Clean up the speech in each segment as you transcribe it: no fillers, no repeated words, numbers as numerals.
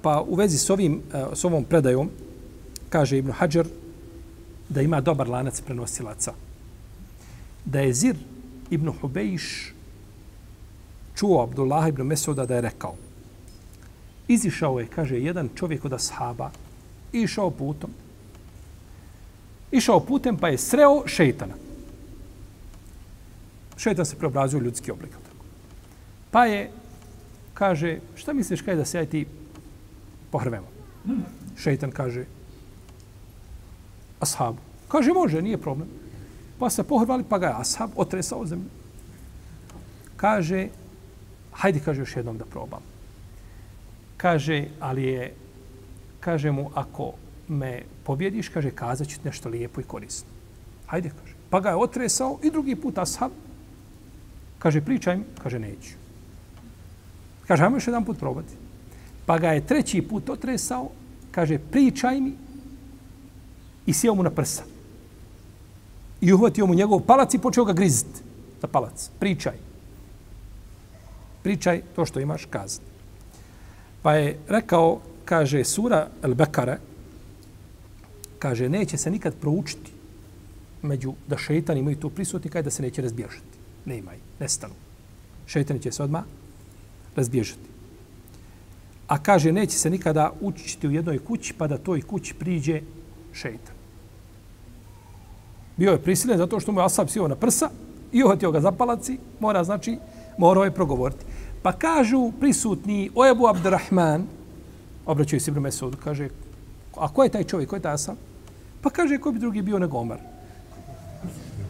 Pa u vezi s ovom predajom, kaže Ibn Hadžar da ima dobar lanac prenosilaca. Da je Zir ibn Hubejš čuo Abdullah ibn Mesuda da je rekao: izišao je, kaže, jedan čovjek od ashaba i išao putem pa je sreo šejtana. Šejtan se preobrazio u ljudski oblik. Pa je, kaže, šta misliš kaj da se ti pohrvemo? Šejtan kaže ashabu. Kaže, može, nije problem. Pa se pohrvali, pa ga je ashab otresao zemlju. Kaže, hajde, kaže, još jednom da probam. Kaže, ali je, kaže mu, ako me pobjediš, kaže, kazat ću nešto lijepo i korisno. Hajde, kaže. Pa ga je otresao i drugi put ashab. Kaže, pričaj mi. Kaže, neću. Kaže, hajmo još jedan put probati. Pa ga je treći put otresao. Kaže, pričaj mi. I sjeo mu na prsa. I uhvatio mu njegov palac i počeo ga griziti za palac. Pričaj. Pričaj to što imaš kazati. Pa je rekao, kaže, sura Al-Bekare, kaže, neće se nikad proučiti da šejtani imaju tu prisutni, kaže da se neće razbježati. Ne imaju, nestanu. Šejtani će se odmah razbježati. A kaže, neće se nikada učiti u jednoj kući, pa da toj kući priđe šejtan. Bio je prisiljen zato što mu je ashab sjeo na prsa i uhvatio ga za palac i morao je progovoriti. Pa kažu prisutni o Ebu Abdurrahman, obraćaju se Ibn Mesudu, kaže, a ko je taj čovjek, ko je taj ashab? Pa kaže, ko bi drugi bio nego Omer?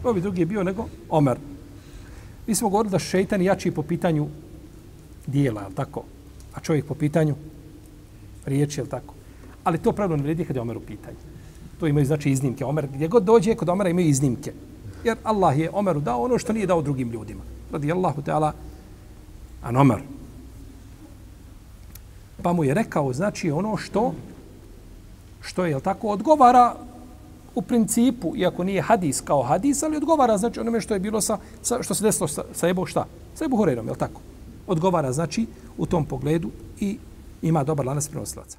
Ko bi drugi bio nego Omer? Mi smo govorili da šejtan jači po pitanju dijela, je li tako? A čovjek po pitanju riječi, je li tako? Ali to pravno ne vrijedi kad je Omer u pitanju. To imaju znači iznimke. Omer, gdje god dođe, kod Omera imaju iznimke. Jer Allah je Omeru dao ono što nije dao drugim ljudima. Radijallahu ta'ala an Omer. Pa mu je rekao, znači, ono što je, jel tako, odgovara u principu, iako nije hadis kao hadis, ali odgovara, znači, onome što je bilo što se desilo sa Ebu, šta? Sa Ebu Hurejrom, jel tako? Odgovara, znači, u tom pogledu i ima dobar lanac prenosilaca.